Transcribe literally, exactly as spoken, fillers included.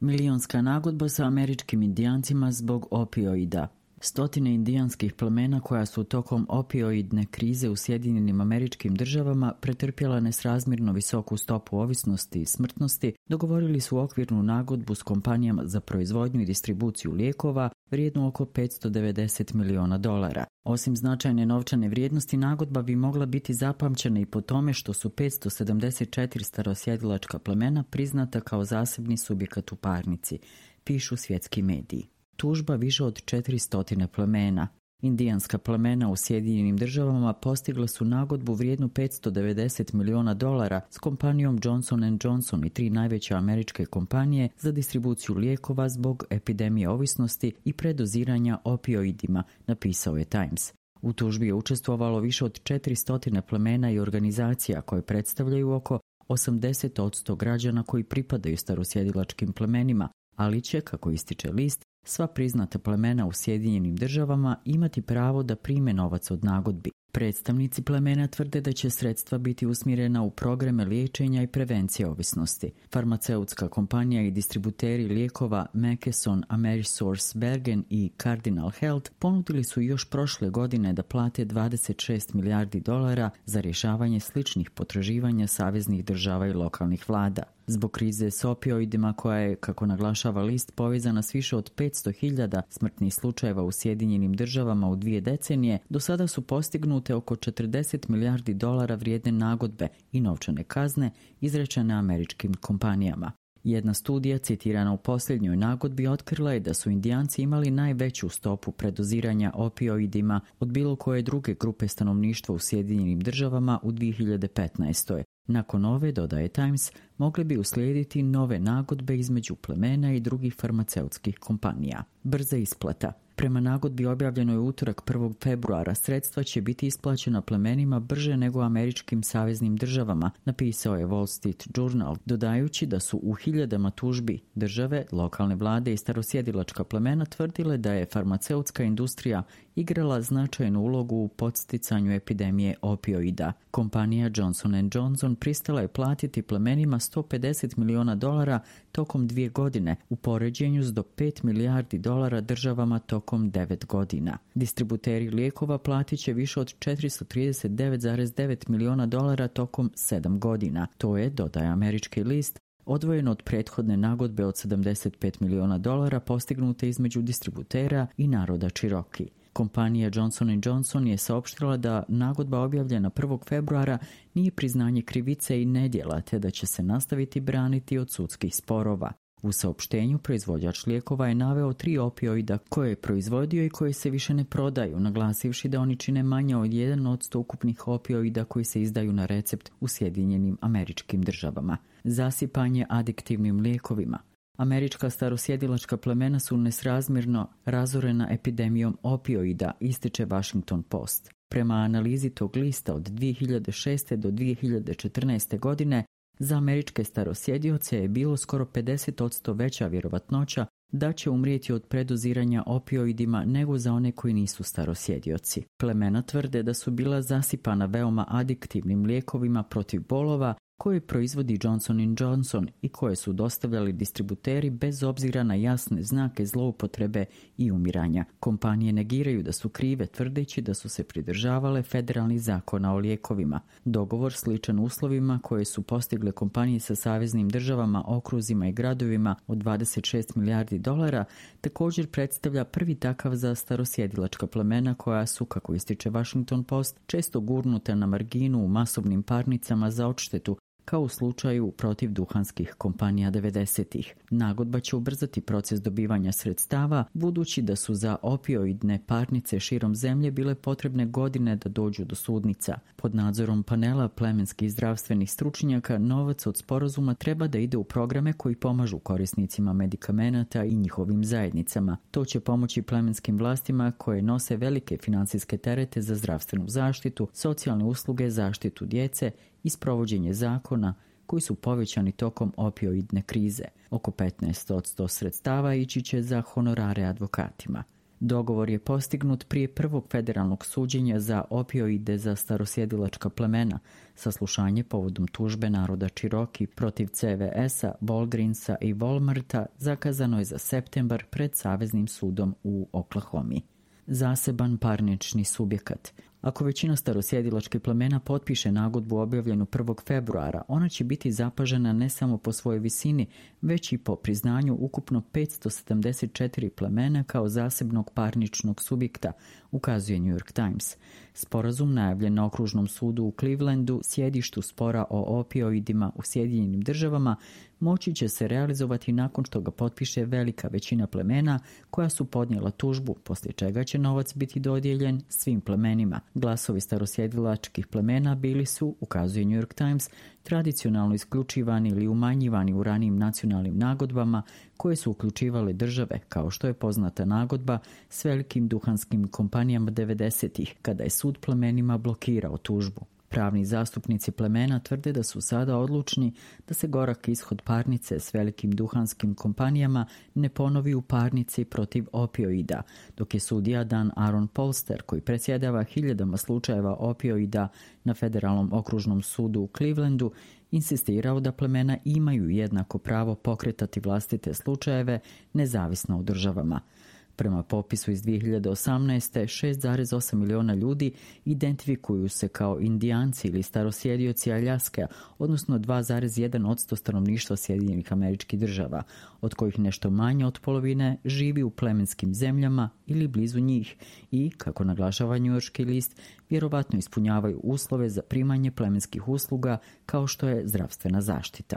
Milionska nagodba sa američkim indijancima zbog opioida. Stotine indijanskih plemena koja su tokom opioidne krize u Sjedinjenim Američkim Državama pretrpjela nesrazmjerno visoku stopu ovisnosti i smrtnosti, dogovorili su okvirnu nagodbu s kompanijama za proizvodnju i distribuciju lijekova vrijednu oko petsto devedeset miliona dolara. Osim značajne novčane vrijednosti, nagodba bi mogla biti zapamćena i po tome što su petsto sedamdeset četiri starosjedilačka plemena priznata kao zasebni subjekat u parnici, pišu svjetski mediji. Tužba više od četiristo plemena. Indijanska plemena u Sjedinjenim Državama postigla su nagodbu vrijednu petsto devedeset miliona dolara s kompanijom Johnson and Johnson i tri najveće američke kompanije za distribuciju lijekova zbog epidemije ovisnosti i predoziranja opioidima, napisao je Times. U tužbi je učestvovalo više od četiristo plemena i organizacija koje predstavljaju oko osamdeset posto građana koji pripadaju starosjedilačkim plemenima, ali će, kako ističe list, sva priznata plemena u Sjedinjenim Državama imati pravo da prime novac od nagodbi. Predstavnici plemena tvrde da će sredstva biti usmjerena u programe liječenja i prevencije ovisnosti. Farmaceutska kompanija i distributeri lijekova McKesson, AmerisourceBergen i Cardinal Health ponudili su još prošle godine da plate dvadeset šest milijardi dolara za rješavanje sličnih potraživanja saveznih država i lokalnih vlada. Zbog krize s opioidima koja je, kako naglašava list, povezana s više od petsto hiljada smrtnih slučajeva u Sjedinjenim Državama u dvije decenije, do sada su postignute oko četrdeset milijardi dolara vrijedne nagodbe i novčane kazne izrečene američkim kompanijama. Jedna studija citirana u posljednjoj nagodbi otkrila je da su Indijanci imali najveću stopu predoziranja opioidima od bilo koje druge grupe stanovništva u Sjedinjenim Državama u dvije hiljade petnaestoj. Nakon ove, dodaje Times, mogle bi uslijediti nove nagodbe između plemena i drugih farmaceutskih kompanija. Brza isplata. Prema nagodbi objavljenoj u utorak prvog februara sredstva će biti isplaćena plemenima brže nego američkim saveznim državama, napisao je Wall Street Journal, dodajući da su u hiljadama tužbi države, lokalne vlade i starosjedilačka plemena tvrdile da je farmaceutska industrija igrala značajnu ulogu u podsticanju epidemije opioida. Kompanija Johnson and Johnson pristala je platiti plemenima sto pedeset miliona dolara tokom dvije godine, u poređenju s do pet milijardi dolara državama tokom devet godina. Distributeri lijekova platit će više od četiristo trideset devet zarez devet miliona dolara tokom sedam godina. To je, dodaje američki list, odvojeno od prethodne nagodbe od sedamdeset pet miliona dolara postignute između distributera i naroda Cherokee. Kompanija Johnson and Johnson je saopštila da nagodba objavljena prvog februara nije priznanje krivice i nedjela, te da će se nastaviti braniti od sudskih sporova. U saopštenju proizvođač lijekova je naveo tri opioida koje je proizvodio i koje se više ne prodaju, naglasivši da oni čine manje od jedan posto ukupnih opioida koji se izdaju na recept u Sjedinjenim Američkim Državama. Zasipanje adiktivnim lijekovima. Američka starosjedilačka plemena su nesrazmjerno razorena epidemijom opioida, ističe Washington Post. Prema analizi tog lista od dvije hiljade šeste do dvije hiljade četrnaeste godine, za američke starosjedioce je bilo skoro pedeset posto veća vjerovatnoća da će umrijeti od predoziranja opioidima nego za one koji nisu starosjedioci. Plemena tvrde da su bila zasipana veoma adiktivnim lijekovima protiv bolova koje proizvodi Johnson and Johnson i koje su dostavljali distributeri bez obzira na jasne znake zloupotrebe i umiranja. Kompanije negiraju da su krive, tvrdeći da su se pridržavale federalnih zakona o lijekovima. Dogovor sličan uslovima koje su postigle kompanije sa saveznim državama, okruzima i gradovima od dvadeset šest milijardi dolara također predstavlja prvi takav za starosjedilačka plemena koja su, kako ističe Washington Post, često gurnuta na marginu u masovnim parnicama za odštetu, kao u slučaju protiv duhanskih kompanija devedesetih. Nagodba će ubrzati proces dobivanja sredstava, budući da su za opioidne parnice širom zemlje bile potrebne godine da dođu do sudnica. Pod nadzorom panela plemenskih zdravstvenih stručnjaka, novac od sporazuma treba da ide u programe koji pomažu korisnicima medikamenata i njihovim zajednicama. To će pomoći plemenskim vlastima koje nose velike finansijske terete za zdravstvenu zaštitu, socijalne usluge, zaštitu djece i sprovođenje zakona koji su povećani tokom opioidne krize. Oko petnaest posto sredstava ići će za honorare advokatima. Dogovor je postignut prije prvog federalnog suđenja za opioide za starosjedilačka plemena, saslušanje povodom tužbe naroda Cherokee protiv C V S-a, Walgreensa i Walmarta zakazano je za septembar pred Saveznim sudom u Oklahomi. Zaseban parnični subjekat. Ako većina starosjedilačkih plemena potpiše nagodbu objavljenu prvog februara, ona će biti zapažena ne samo po svojoj visini, već i po priznanju ukupno petsto sedamdeset četiri plemena kao zasebnog parničnog subjekta, ukazuje New York Times. Sporazum najavljen na okružnom sudu u Clevelandu, sjedištu spora o opioidima u Sjedinjenim državama, moći će se realizovati nakon što ga potpiše velika većina plemena koja su podnijela tužbu, poslije čega će novac biti dodijeljen svim plemenima. Glasovi starosjedilačkih plemena bili su, ukazuje New York Times, tradicionalno isključivani ili umanjivani u ranijim nacionalnim nagodbama koje su uključivale države, kao što je poznata nagodba s velikim duhanskim kompanijama devedesetih, kada je sud plemenima blokirao tužbu. Pravni zastupnici plemena tvrde da su sada odlučni da se gorak ishod parnice s velikim duhanskim kompanijama ne ponovi u parnici protiv opioida, dok je sudija Dan Aaron Polster, koji predsjedava hiljadama slučajeva opioida na Federalnom okružnom sudu u Clevelandu, insistirao da plemena imaju jednako pravo pokretati vlastite slučajeve nezavisno o državama. Prema popisu iz dvije hiljade osamnaeste. šest zarez osam miliona ljudi identifikuju se kao Indijanci ili starosjedioci Aljaske, odnosno dva zarez jedan posto stanovništva Sjedinjenih Američkih Država, od kojih nešto manje od polovine živi u plemenskim zemljama ili blizu njih i, kako naglašava njujorški list, vjerovatno ispunjavaju uslove za primanje plemenskih usluga kao što je zdravstvena zaštita.